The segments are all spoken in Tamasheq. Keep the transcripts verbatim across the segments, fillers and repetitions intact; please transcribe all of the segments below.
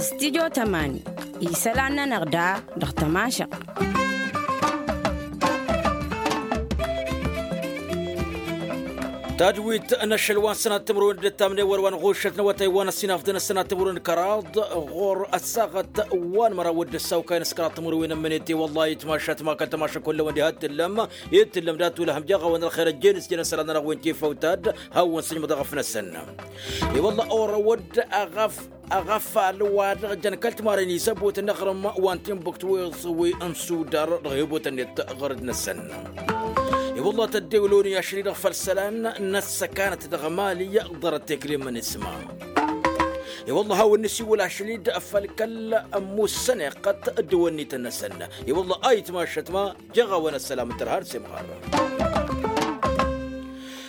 Stidyo tămani isălan-nănăɣ da dăɣ-tămašăɣt. Tadwit n-ašăl wa n-sănat timǝrwen d-ăttamne wăr wa n-ɣušăt n-awătay wa n-ăssinafdăn ăssănat timǝrwen kăraḍ ɣur-ăssaɣăt wa n-măraw d-ăssawkay n-ăskăraḍ timǝrwen ămmănet i-wălla-hi itmašăt ma kăl-tămašăk wăllăwăn diha t-tǝllăm i-t-tǝllăm dat-ulăhăm jeɣ-awăn ălxer ăjjeen s-jăn ăssălan-nănăɣ wen tifăw tad hawăn-sǝjmăḍ aɣăf-năsăn. I-wălla orăwăd aɣăf aɣăfal wa-dăɣ jăn kăl-timarăn isăbotăn n-aɣrǝm wa n-tinbǝkt wi n-sudar dăɣ-hebotăn-net ɣărăd-năsăn. I-wălla tăddewloni ašăl-i-dăɣ făll-isălan n-ăssăkanăt dăɣ-emali ḍarăt tekle n-imǝnǝsma. I-wălla hawăn-nǝsiwǝl ašăl-i-dăɣ făll-kăl-ămmussăn iqqăt dd-wănnităn-năsăn. I-wălla a itmašăt ma jeɣ-awăn ăssălam n-tărha d-semɣar.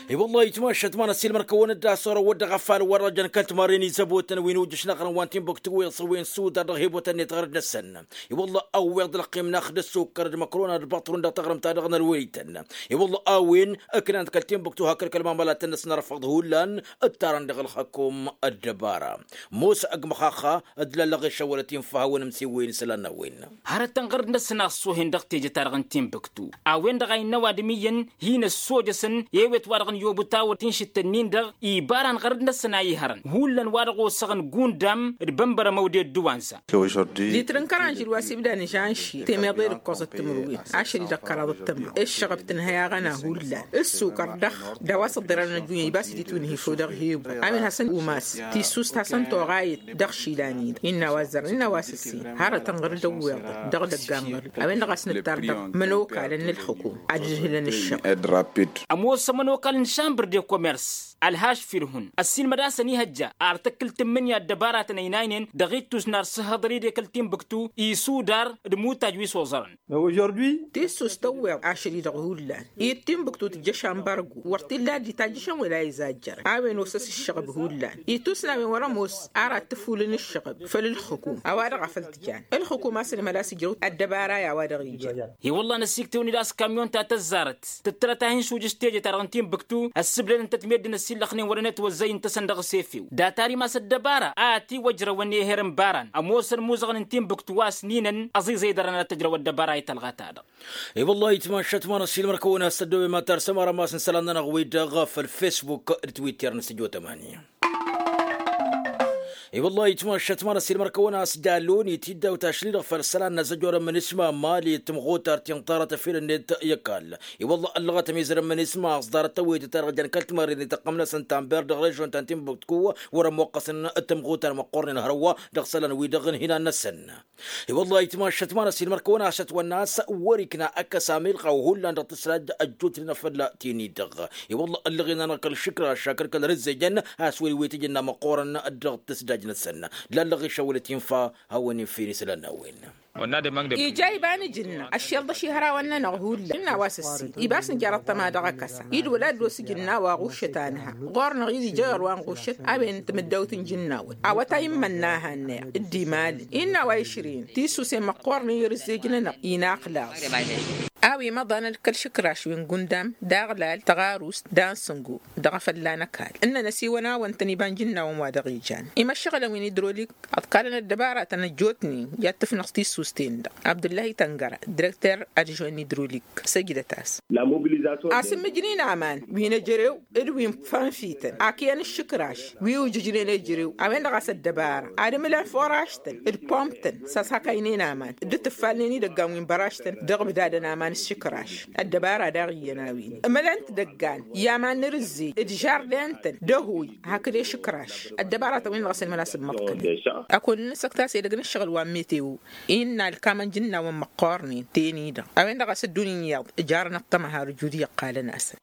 I-wălla itmašăt ma n-ăssiilmăr-kăwăn-dd a-s orăwăd dăɣ-afal wăr-ăjăn kăl-timarren izăbotăn wi n-ujǝš n-aɣrǝm wa n-tinbǝktu wi n-sudar dăɣ-hebotăn-net ɣărăd-năsăn. I-wălla a ǝwweḍ ălqim n-ax d-ăssukăr d-măkrona d-baṭrun dăɣ-taɣrǝmt-ta-dăɣ n-ălwăytăn. I-wălla a-wen ǝknan-t kăl-tinbǝktu hakd kăl-mamalatăn-năsăn arfăḍ hullan ǝttarăn dăɣ-ălxăkum ăddăbara. Mosa ăgg măxaxa d-lallăɣ išăwwălăt infa hawăn-ǝmsiwwăyăn isălan n-a-wen. Hărătăn ɣărăt-năsăn a ăṣṣuhen dăɣ-teje-ta-dăɣ n-tinbǝktu a-wen-dăɣ a innă ăwadǝm iyyăn hin-ăssojăsăn i-ewet wa-dăɣ n-iobǝt a wăr t-inšǝttăn-in-dăɣ. Ibarăn ɣărăt-năsăn a ihărăn hullan wa dăɣ-osăɣăn gundam d-bănbărămăw d-edduwanza. Litrǝn kăranžil wa s-ibdan žanši temeḍe d-ǝkkoẓăt timǝrwen ašăl-i-dăɣ kăraḍăt tămăɣ ǝššăɣăb tǝnhăy aɣăna hullan ǝssukăr dăɣ-dăɣ wa s-ăḍḍirăn ăddunya ibas-dd itwǝnhǝy făw dăɣ-hebu a-wen hasăn-umas tissust hasăn-toɣayăt dăɣ-išilan-i-dăɣ innă a-wa ăzzărăn innă a-wa s-ǝssin hărătăn ɣăr-dd ăwweḍăn dăɣ-idăggan ɣăr-dd a-wen-dăɣ a-s nǝttar dăɣ-imănokalăn n-ǝlxǝkum ad-ǝdhǝlăn ǝššăɣ. Ămoos imănokalăn n-šambăr de komers ălhaš firhun ăssiilmăd-asăn ihăjja ar tǝkkǝl tǝmmǝnǝya ăddăbaratăn ăynaynen dăɣ-ittus n-arsǝhhăḍăr-i d-ekăl tinbǝktu isudar d-imutaj wi s-oẓărăn. Tissust tăwweḍ ašăl-i-dăɣ hullan i-tinbǝktu tǝjjăš ambargu wăr t-illa dd-itajjăšăn wăla izajjărăn a-wen osăs ǝššăɣăb hullan ittus n-a-wen wăr-ămoos ara t-tǝfulǝn ǝššăɣăb făll-ǝlxǝkum a-wa-dăɣ a făl t-jan ǝlxǝkum a-s ălmăla a-s ǝjrăw ăddăbara i-a-wa-dăɣ ijăn. I-wălla n-ăsiktewăn-dd a-s kamyon ta tăzzarăt tǝttărăt a hin-šujǝš teje-ta-dăɣ n-tinbǝktu ăssǝbdădăn-tăt meddǝn ăsillăxnen wăr-ănătwăzzăy ǝntăsăn dăɣ-s efew data-ri ma s-ăddăbara a ătiwăjrăwăn i-eher n-baran ămoosăn imuzăɣăn n-tinbǝktu wa s-ninăn ăẓiẓăy dăr-ănăt tăjrăw ăddăbara i-talɣa-ta-dăɣ. I-wăllah itmašăt ma n-ăssiilmăr-kăwăn a-s ăddooben ma tarsăm arămas n-isălan-nănăɣ-wi-dăɣ făll-fesbuk d-twitter n-sǝjo tămani. I-wăllah itmašăt ma n-ăssiilmăr-kăwăn a-s jalon i-tiddawt ašli-dăɣ făll-isălan n-azăjorăn mǝnǝsma mali d-tǝmɣutar ti n-ḍarăt ăfilăn-net i-ăkall. I-wăllah ăllăɣăt ămizărăn mǝnǝsma a-s ḍarăt tăwwet ta-dăɣ jăn kăl-timarren i-tăqqăm-năsăn tanber dăɣ-režon ta n-tinbǝktu wăr-ămmuqqăsăn d-tǝmɣutar măqqornen hărwa dăɣ-isălan-wi-dăɣ n-hinan-năsăn. I-wăllah itmašăt ma n-ăssiilmăr-kăwăn a-s ătwănna a-s wăr-ikna ăkkăs amilɣaw hullan dăɣ-tǝsraj ăjjootnen afălla tini-dăɣ. I-wăllah ăllăɣen-anăɣ kăl-išǝkraš akăl kăl-rǝzzejăn a-s wăr-iwetǝj ǝnna măqqoorăn dăɣ-tǝsdaj-năsăn. Lallăɣ išăwălăt infa hawăn-in-fin isălan n-a-wen. Ija iba n-ijǝnna ăššelḍăš ihărawăn-nănăɣ hullan ǝnna a-wa s-ǝssin iba a-s nǝjar ăṭṭăma dăɣ-akăsa-i d-wăla ăddos ijǝnna wa ɣuššăt a nǝha ɣur-năɣ i-ija iɣăr wa n-ɣuššăt a-wen tǝmǝddawt n-ijǝnnawăn. A-wa ta immănna a hannăyăɣ d-imalǝn innă a-wa išrǝyăn tisusen măqqoornen i-rǝzzej-nănăɣ inaqlaẓ. A-wen imăḍanăn d-kăl-išǝkraš wi n-gundam d-aɣlal tăɣarust d-ansǝngo dăɣ-afălla n-ăkall ǝnnăn ăsiwăn-awăn-tăn iba n-ijǝnnawăn wa dăɣ-ijan imăššăɣǝlăn wi n-idrolik. Ăḍkalăn ăddăbaratăn ăjjootnen i-ad-tǝfnăɣ tissusten-dăɣ abdǝllahi tăngăra direkter adžuwen n-idrolik. Săjdăt-as. Asǝmmǝjnen aman wi n-ejărew d-wi n-fanfităn ak iyyăn ǝššǝkraš wi ujǝjnen ejărew a-wen-dăɣ a-s ăddăbara ad-ǝmǝlăn furaštăn d-pomtăn s-ăshakaynen aman d-tǝffalnen idăggan wi n-băraštăn dăɣ-ǝbdadăn aman ǝššǝkraš. Ăddăbara daɣ iyyăn a-wen ǝmǝlăn-t idăggan i-aman n-arǝzzej d-žarden-tăn d-ăhuy hakd ešǝkraš. Ăddăbaratăn-wen-dăɣ a-s ǝlmăla s-ǝmmăḍkălăn. Ăkall n-asăktas edăgg n-ǝššăɣǝl wa n-meteo innă ălkamăn jǝnnawăn măqqoornen teni-dăɣ a-wen-dăɣ a-s ăddunya iyyăḍ jarăn ăṭṭăma har ǝjud i-ăqqalăn-asăn.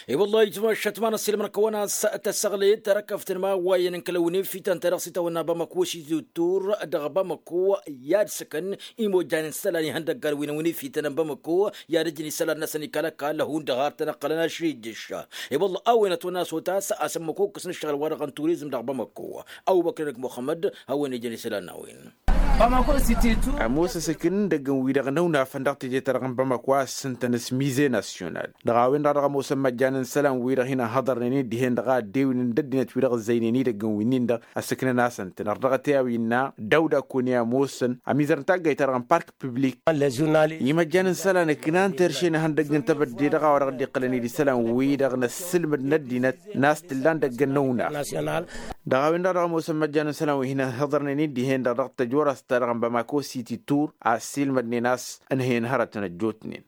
I-wăllah itmašăt ma n-ăssiilmăr-kăwăn a-s tăsăɣlet tărăkăft n-ma wa iyyăn n-kăl-ăwnefităn ta dăɣ-s itawănna bamăko s-ituttur dăɣ-bamăko i-ad-săkăn imojan n-isălan ihăndăggan wi n-ăwnefităn n-bamăko i-ad-ǝjǝn isălan-năsăn ikal ăkall hundăɣ har tăn-ăqqălăn ašrijǝš. I-wăllah a-wen ătwănna s-otas a-s ămmăkokkǝs n-ǝššăɣǝl-wa-dăɣ n-turizm dăɣ-bamăko. Ăbubăkr n-ăgg muxămmăd hawăn-ijăn isălan n-a-wen. Ămoos asǝkǝn n-idăggăn-wi-dăɣ n-ăwnafăn dăɣ-teje-ta-dăɣ n-bamako a ǝssǝntăn s-mize nasyonal. Dăɣ-a-wen-dăɣ a dăɣ-ămoosăn imăjjan n-isălan-wi-dăɣ hin-ănhăḍărnen-dd dihen-dăɣ a ăddewǝynen d-ăddinăt-wi-dăɣ ǝzzăynen idăggăn-winnin-dăɣ ăssǝknăn-asăn-tăn ărdăɣăt i-a-wa innă dăw-dd akone ămoosăn ămizăr n-taggayt-ta-dăɣ n-park piblik. Imăjjan n-isălan ǝknan terše n-ihăndăgg n-tebădde dăɣ-a-wa dăɣ-dd-iqqălăn-dd isălan-wi-dăɣ n-ăssǝlmǝd n-ăddinăt n-a-s t-illa n-idăgg ănnăwna. Dăɣ-a-wen-dăɣ dăɣ-ămoosăn imăjjan n-isălan wi hin-ănhăḍărnen-dd dihen-dăɣ dăɣ-tăjorăst-ta-dăɣ n-bamako siti tur a ăssiilmădnen a-s ǝnhăyăn hărătăn ăjjootnen.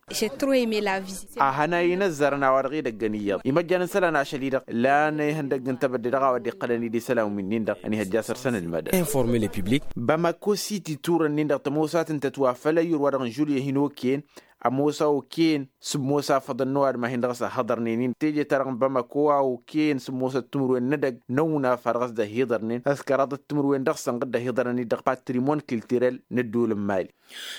A hănay inăzzarăn a-wa-dăɣ idăggăn iyyăḍ imăjjan n-isălan ašăl-i-dăɣ lan ihăndăgg n-tebădde dăɣ-a-wa dd-iqqălăn-dd isălan winnin-dăɣ ănihăjja săr-săn ǝlmădăn. Informe le public. Bamako siti tur-ǝnnin-dăɣ tămoos a tǝntăt wa făl ăyyur-wa-dăɣ n-žulye hin-okăyăn ămoos a okăyăn s-ămoos afăḍăn n-ăwadǝm a hin-dăɣ-s ăhhăḍărnen-in teje-ta-dăɣ n-bamako a okăyăn s-ămoosăt timǝrwen n-edăgg n-ăwnaf a dăɣ-s dd-ăhhiḍărnen ăskăraḍăt timǝrwen dăɣ-săn ɣǝd-ăhhiḍărnen-dd dăɣ-patrimon kiltirel n-ădduul n-mali.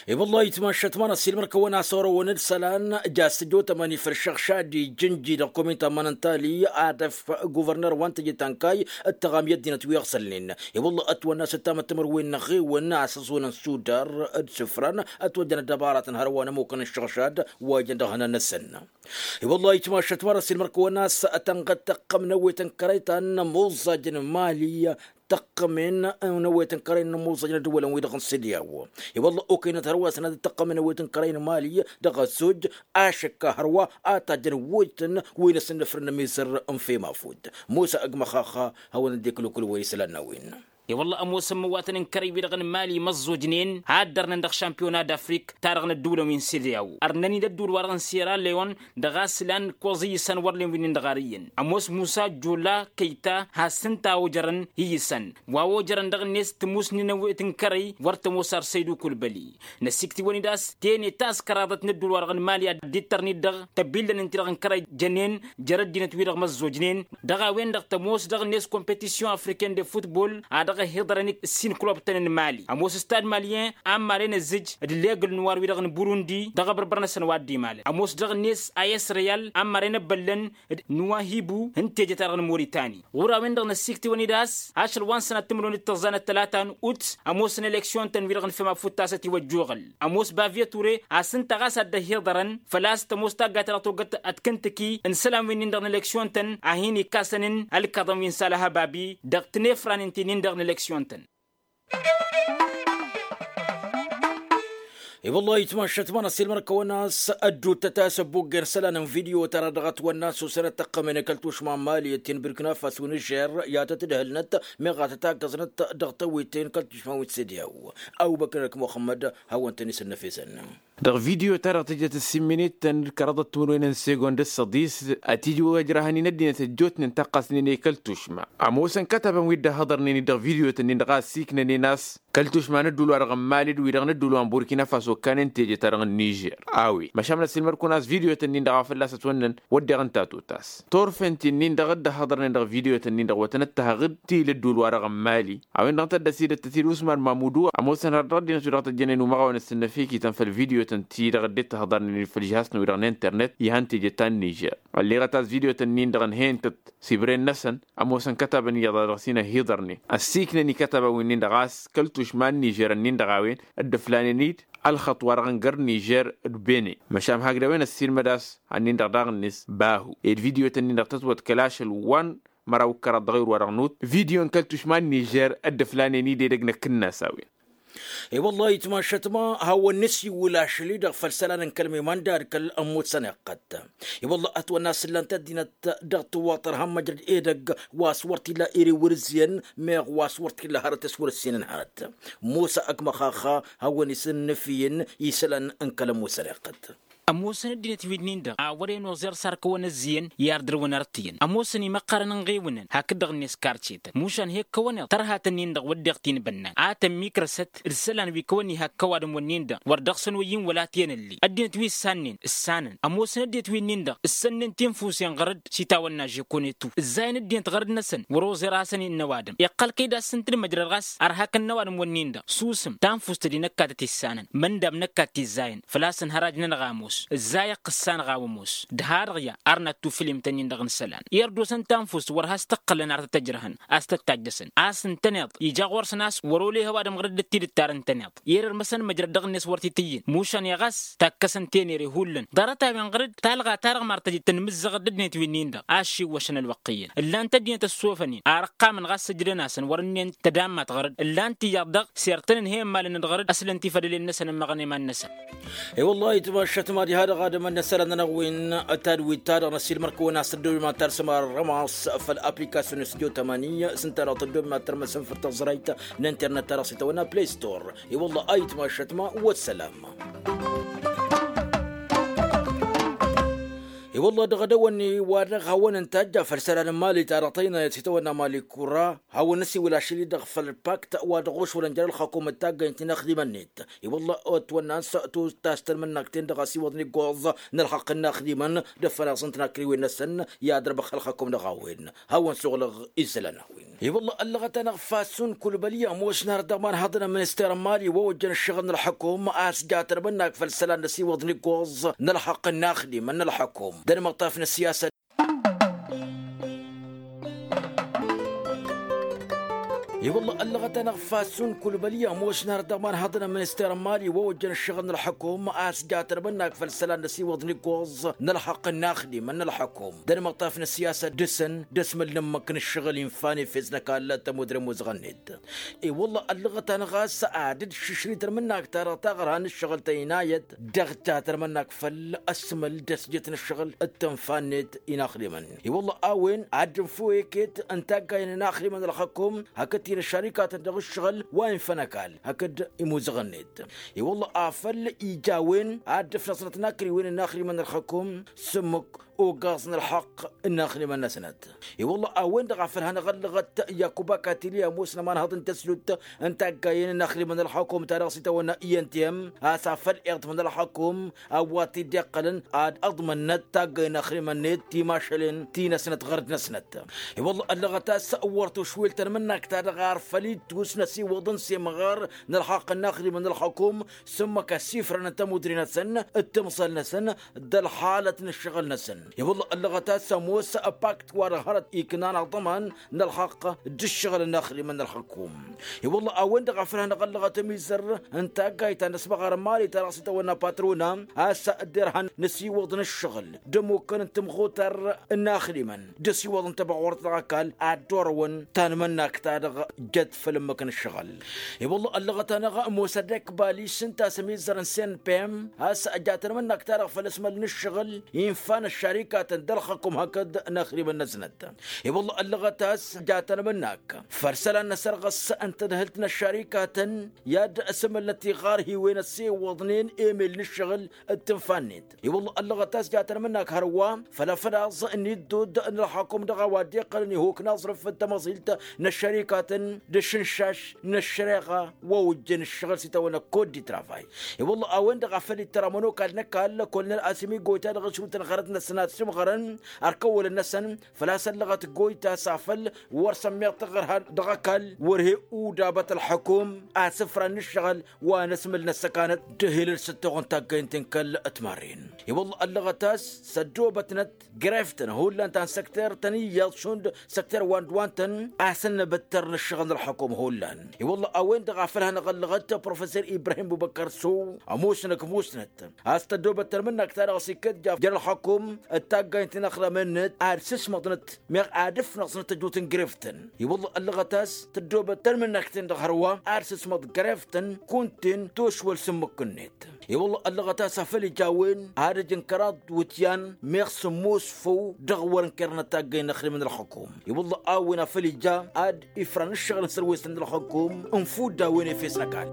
I-wăllah itmašăt ma n-ăssiilmăr-kăwăn a-s orăwăn d-isălan jas tăjotămăn ifăl šăɣšad ijǝnji dăɣ-komin ta n-iman n-tali ad-ăf guvărner wa n-teje ta n-kayy d-tăɣam i-ăddinăt wi ăɣsălnen. I-wăllah ătwănna s-ăttamăt timǝrwen n-eɣewăn a-s ăẓunăn sudar d-sǝfran ătwăjjăn ăddăbaratăn hărwa n-ămukăn n-iššăɣšad wa ijăn dăɣ-hănan-năsăn. I-wăllah itmašăt ma n-ăssiilmăr-kăwăn a-s tănɣăt tăqqăm n-ewet n-kărăy ta n-ămoẓẓaj n-mali tăqqăm-en n-ewet n-kărăy n-ămoẓẓaj n-ăddăwălăn-wi-dăɣ n-sediyaw. I-wăllah okăynăt hărwa sănad tăqqăm n-ewet n-kărăy n-mali dăɣ-ăzzoj ašăkka hărwa a tajjăn wojtăn wi n-asǝnnǝfrǝn n-ămizăr n-fem afut. Musa ăgg măxaxa hawăn-dd-iklǝkulǝwăn isălan n-a-wen. I-wălla ămoosăn imǝwwatăn n-kărăy-wi-dăɣ n-mali imăẓẓojnen a ăddărnăn dăɣ-šampiyona d-afrik-ta-dăɣ n-ădduulăn wi n-sediyaw ărnăn-in ădduul-wa-dăɣ n-sera leon dăɣ-a-s lan ǝkkoẓ iyyǝsăn wăr len wi n-indăɣ ar iyyăn. Ămoos musa jola kăyta has-ǝnta a ojărăn iyyǝsăn wa ojărăn dăɣ-net tǝmusni n-ewet n-kărăy wăr tămoos ar săydu kulbăli. Năsiktiwăn-dd a-s tene taskăraḍăt n-ădduul-wa-dăɣ n-mali ad-dd-ittărnit dăɣ-tăbillăn-in-ti-dăɣ n-kărăy jănen jer-ăddinăt-wi-dăɣ măzzojnen. Dăɣ-a-wen-dăɣ tămoos dăɣ-net competision afriken de futbol a dăɣ-ăhiḍărăn s-inklobtăn n-mali ămoos stad malien a n-maren ăzzǝj d-legǝl n-uwar-wi-dăɣ n-burundi dăɣ-abărbăr-năsăn wa dd-imalăn ămoos dăɣ-net a s-reyal a n-maren ăbbăllăn d-nuwahibu n-teje-ta-dăɣ n-moritani. Ɣur-a-wen-dăɣ năssiktǝwăn-dd a-s ašăl wa n-sănat timǝrwen d-tăẓẓa n-ăttălata n-ut ămoosăn eleksyon-tăn wi-dăɣ n-fem afut tasăt iwăjjoɣăl. Ămoos bavye ture a-s ǝnta ɣas a dd-ăhiḍărăn făl-a-s tămoos taggayt ta dăɣ-togăt ad-kǝntǝki n-isălan wi-nin-dăɣ n-eleksyon-tăn a hin-ikkasăn n-ălkaḍăn wi n-salăh ababi dăɣ-tinefranen ti-nin-dăɣ n-eleksyon-tăn. I-wăllah itmašăt ma n-ăssiilmăr-kăwăn a-s ădduuttăt a-s ăbbuggen isălan n-video-ta-dăɣ dăɣ-ătwănna s-osănăt tăqqămen i-kăl-tušma n-mali d-tinbǝrkna fas-wi n-žer i-ad-tăt-dd-hălnăt meɣ a tăt-aggăẓnăt dăɣ-tawit n-kăl-tušma wi n-sediyaw. Ăbubăkr-năk muxămmăd hawăn-tăn-isǝnnăfesăn. Dăɣ-video-ta-dăɣ tǝjjăt ǝssin minit-tăn d-kăraḍăt timǝrwen n-segond d-săḍis. Ătij wa ǝjrahăn-in ăddinăt ăjjootnen taqqasnen i-kăl-tušma ămoosăn kătabăn wi dd-ăhhăḍărnen-dd dăɣ-video-tăn-in-dăɣ a ăssiiknănen a-s kăl-tušma n-ădduul-wa-dăɣ n-mali d-wi-dăɣ n-ădduul wa n-burkina faso ǝkkanen teje-ta-dăɣ n-nižer. A-wen măšan ăssiilmăd-kăwăn a-s video-tăn-in-dăɣ a fălla-s ătwănnăn wădden ǝnta a totas turfen ti-nin-dăɣ dd-ăhhăḍărnen dăɣ-video-tăn-in-dăɣ wa tăn-ăttăhăɣ-dd ti l-ădduul-wa-dăɣ n-mali. A-wen-dăɣ tăddăsidăt-t-dd usman mamudu ămoosăn har dăɣ-ăddinăt-wi-dăɣ tăjjănen umăɣawăn ǝssǝnnăfekităn făll-video-tăn ti-dăɣ dd-tăhăḍărnen făll-žihas-năwi-dăɣ n-internet ihăn teje ta n-nižer. Ălleɣăt a-s video-tăn-in-dăɣ ǝnhăyăn-tăt s-ibre-năsăn ămoosăn kătabăn iyyăḍ a dăɣ-s hin-ăhiḍărnen ăssiiknăn i-kătabăn wi-nin-dăɣ a-s kăl-tušma n-nižer-ǝnnin-dăɣ a-wen dd-ǝflanen-dd ălxăṭṭ-wa-dăɣ n-găr nižer d-bene. Măšan hakd a-wen ăssiilmăd a-s ănnin-dăɣ daɣ-net bahu ed video-tăn-in-dăɣ tătwăḍkăl ašăl wa n-măraw d-kăraḍ dăɣ-ewăr wa-dăɣ n-ut video n-kăl-tušma n-nižer dd-ǝflanen-dd edăgg năkk-năs a-wen. I-wăllah itmašăt ma hawăn-nǝsiwǝl ašăl-i-dăɣ făll-isălan n-kăl-miman d-ad-kăl-ămmutsăn iqqăt. I-wăllah ătwănna a-s ǝllan-t ăddinăt dăɣ-tǝwwaṭăr han măjrăd edăgg wa s-wăr t-illa ere wăr-ǝzzǝyăn meɣ wa s-wăr t-illa hărăt s-wăr-ǝssinăn hărăt. Musa ăgg măxaxa hawăn-isǝnnǝfǝyăn isălan n-kăl-ămmutsăn iqqăt. Ămoosăn ăddinăt-wi-dăɣ a wăren oẓer s-ar kăwăn-ăzziyăn i-ar dăr-wăn arăttǝyăn ămoosăn imăqqărăn ǝnɣewǝnăn hakd-dăɣ-net karcetăn mušan he-ǝkkăwăn-eḍ tărhatăn-in-dăɣ wădden t-inbănnan a tămmikrăsăt d-isălan wi kăwăn-ihakk ăwadǝm-wǝnnin-dăɣ wăr dăɣ-săn oyyin wăla t-enălli ăddinăt wi ǝssannen ǝssanăn ămoosăn ăddinăt-wi-dăɣ ǝssănnen tinfusen ɣăr-dd s-itawănna žekonetu ǝzzayăn ăddinăt ɣăr-dd-năsăn wăr-oẓer a hasăn-innă ăwadǝm iqqăl kăy-dd-assǝntǝd măjrăd ɣas ărhakăn n-ăwadǝm-wǝnnin-dăɣ susǝm tanfust d-inăkkat ătissănăn măndam n-ăkkat tizzayăn făl-a-s ănhărajnăn ɣamos. ǝzzay ăqqǝssanăɣ a-wa ămoos d-ha-dăɣ ya arnat tufǝlim-tăn-in-dăɣ n-isălan i-ărdos n-tanfust wăr has-tăqqălăn ar tăt-ăjrăhăn a-s tăt-tajjăsăn a-s ǝntăneḍ ija ɣur-săn a-s wăr olehew ad-ămɣărăd d-tidǝttar ǝntăneḍ i-dd-ărmăsăn măjrăd dăɣ-net wăr t-itǝyyǝn mušan iɣas takkăsăn tenere hullan ḍarăt-a-wen ɣăr-dd talɣa-ta-dăɣ mar tăjǝd tǝnmǝzzăɣăd d-ăddinăt wi-nin-dăɣ a ăššiwwăšăn ălwăqq iyyăn ǝllan-t ăddinăt ăssofăn-in ar ǝqqamăn ɣas sǝjdăn-asăn wăr-ǝnnen tădammat ɣăr-dd ǝllan-t iyyăḍ dăɣ-s irtăn ǝnhăyăn malăn-dd ɣăr-dd ăslăn tifădălen-năsăn ămmăɣăn i-iman-năsăn. I-wălla a itmašat mad-iha-dăɣ ad-ămănnăsălăn-nănăɣ-win tadwit-ta-dăɣ n-ăsilmăr-kăwăn-as tăddoobem ad-tarsăm arrămas făll-application studio tămani s-ǝnta-dăɣ tăddoobem ad-tărmăsăm făll-taẓrayt n-internet-ta-dăɣ s-itawănna play store. I-wălla a itmašat ma wăssălam. I-wălla dăɣ-edăwănni wa dăɣ-hawăn-ǝntajja făll-isălan n-mali ta dăɣ-tăynayăt s-itawănna mali kura hawăn-năsiwǝl ašăl-i-dăɣ făll-pakt wa dăɣ-ošwălăn jer-ălxakum d-taggăynt-i n-axdimăn-net. I-wălla otwănna a-s tos tastălmǝnnakt-en-dăɣ a-s iwwăḍăn iggoẓ n-ălxaqq n-inaxdimăn d-ăffănaẓ n-tinakriwen-năsăn i-ad-ărbăx ălxakum dăɣ-a-wen. Hawăn-suɣlăɣ isălan a-wen i-wălla ăllăɣăt-anăɣ fasun kulbăli ămoosnen ar dăɣ-imanhaḍăn n-minister n-mali wa ojjăn ǝššăɣǝl n-ălxukum a-s jatăn mǝnnak făll-isălan n-ăsiwwăḍăn iggoẓ n-ălxaqq n-inaxdimăn n-ălxukum d-ănmăṭṭaf n-ăssiyasăt. I-wălla ăllăɣăt-anăɣ fasun kulbăli ămoosnen ar dăɣ-imanhaḍăn n-minister n-mali wa ojjăn ǝššăɣǝl n-ălxukum a-s jatăn mǝnnak făll-isălan n-ăsiwwăḍăn iggoẓ n-ălxaqq n-inaxdimăn n-ălxukum d-ănmăṭṭaf n-ăssiyasăt dăr-săn d-asmăl n-ǝmmǝk n-ǝššăɣǝl infa n-efes n-ăkall tămudre ămuzăɣăn-net. I-wălla ăllăɣăt-anăɣ a-s ad-dd-šǝšrităn mǝnnak-ta-dăɣ taɣărha n-ǝššăɣǝl tăynayăt dăɣ-jatăn mǝnnak făll-asmăl d-asjăt n-ǝššăɣǝl d-tǝnfa-net inaxdimăn. I-wălla a-wen ad-dd-ǝnfǝw eket n-taggayăn inaxdimăn ălxukum hakd ti n-ăššărikatăn dăɣ-ǝššăɣǝl wa infăn ăkall hakd imuzăɣăn-net. I-wălla afăl ija a-wen ad-dd-ǝfnăẓnăt inakriwen inaxdimăn ălxukum s-ǝmmǝk ogaẓ n-ălxaqq n-inaxdimăn-năsnăt. I-wălla a-wen-dăɣ a făl hanăɣ-ăllăɣăt yakuba katili ămoosnăt ămanhăḍ n-tăslut n-taggayen n-inaxdimăn ălxukum ta dăɣ-s itawănna i n t m a-s afăl iḍmăn ălxukum a-wa t-dd-iqqălăn ad-ǝḍmănnăt taggay n-inaxdimăn-net timašălen ti-năsnăt ɣărd-năsnăt. I-wălla ăllăɣăt a-s wăr tušwil tanmǝnnakt-ta-dăɣ ar făl ittus n-ăsiwăḍăn s-imɣăr n-ălxaqq n-inaxdimăn ălxukum s-ǝmmǝk ăsifrăn n-tamudre-năsăn d-timẓal-năsăn d-ălxalăt n-ǝššăɣǝl-năsăn. I-wălla ăllăɣăt a-s ămoos pakt wa dăɣ-hărăt iknan aḍăman n-ălxaqq d-ǝššăɣǝl n-inaxdimăn ălxukum. I-wălla a-wen-dăɣ a făl hanăɣ-ăllăɣăt ămizăr n-taggayt ta n-ăsmăɣar n-mali ta dăɣ-s itawănna patruna a-s dd-irhan n-ăsiwăḍ n-ǝššăɣǝl d-ămukăn n-timɣutar n-inaxdimăn d-ăsiwăḍ n-tăbɣurt dăɣ-ăkall ad-dd-orăwăn tanmănnakt-ta-dăɣ jăt făll-ǝmmǝk n-ǝššăɣǝl. I-wălla ăllăɣăt-anăɣ ămoos ăddek balis ǝnta a-s ămizăr n-senpem a-s ăjatăn mǝnnak-ta-dăɣ făll-asmăl n-ǝššăɣǝl infa n-ăššărikatăn d-ălxăkum hakd inaxdimăn-năsnăt. I-wălla ăllăɣăt a-s ăjatăn mǝnnak făll-isălan n-asărɣǝs n-tadhǝlt n-ăššărikatăn i-ad-ăsmălnăt iɣarhiwen ăssewăḍnen emel n-ǝššăɣǝl d-tǝnfa-net. I-wălla ăllăɣăt a-s jatăn mǝnnak hărwa făll-afănaẓ n-iddudd n-ălxakum dăɣ-a-wa dd-iqqălăn ihuk n-aẓrǝf d-tamăẓilt n-ăššărikatăn d-ašǝnšaš n-ăššăreɣa wa ojjăn ǝššăɣǝl s-itawănna kot di travay. I-wălla a-wen-dăɣ a făl ittăr amănokal n-ăkall kolnăl asǝmi goyta dăɣ-ăšrutăn ɣărăt-năsăn ad-sǝmɣărăn ărkăwălăn-năsăn făl-a-s ăllăɣăt goyta s-afăl wăr sămmeɣ taɣărha dăɣ-ăkall wăr he-udabăt ălxukum asǝfran n-ǝššăɣǝl wa n-asmǝl n-ăssăkanăt d-ehilăl s-ăttoɣ n-taggăynt n-kăl-ătmarren. I-wălla ăllăɣăt a-s s-ăddoobătnăt greftăn hullan ta n-săkter-tăn iyyăḍ šund săkter wa n-dd-wa n-tăn a-s ănnăbăttăr n-ǝššăɣǝl n-ălxukum hullan. I-wălla a-wen-dăɣ a făl hanăɣ-ăllăɣăt professer ibrahim bubăkăr s-u ămoosnăk musnăt a-s tăddoobăt tărmǝnnăk ta dăɣ-s ikkăt jer-ălxukum d-taggaynt n-inaxdamăn-net ad-sǝsmăḍnăt meɣ ad-ǝfnăẓnăt ăjut n-greftăn. I-wălla ăllăɣăt a-s tăddoobăt tărmǝnnăk-ten-dăɣ hărwa ad-sǝsmăḍ greftăn kunta-en tošwăl s-ǝmmǝk-net. I-wălla ăllăɣăt a-s afăl ija a-wen ad-ǝjǝn kăraḍ d-iwǝtyan meɣ sǝmmos făw dăɣ-wăr ǝnkărnăt taggăy n-inaxdimăn ălxukum. I-wălla a-wen afăl ija ad-ifran ǝššăɣǝl n-sărwesăn n-ălxukum ǝnfudda a-wen efes n-ăkall.